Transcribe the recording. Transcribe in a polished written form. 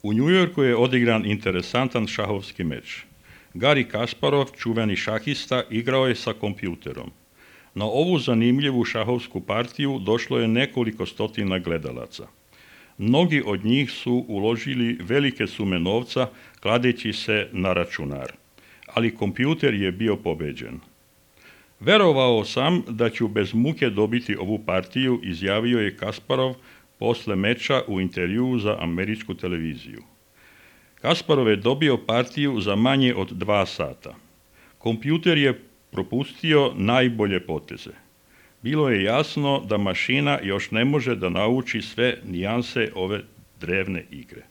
U New Yorku je odigran interesantan šahovski meč. Garry Kasparov, čuveni šahista, igrao je sa kompjuterom. Na ovu zanimljivu šahovsku partiju došlo je nekoliko stotina gledalaca. Mnogi od njih su uložili velike sume novca kladeći se na računar, ali kompjuter je bio pobeđen. Verovao sam da ću bez muke dobiti ovu partiju, izjavio je Kasparov posle meča u intervjuu za američku televiziju. Kasparov je dobio partiju za manje od 2 sata. Kompjuter je propustio najbolje poteze. Bilo je jasno da mašina još ne može da nauči sve nijanse ove drevne igre.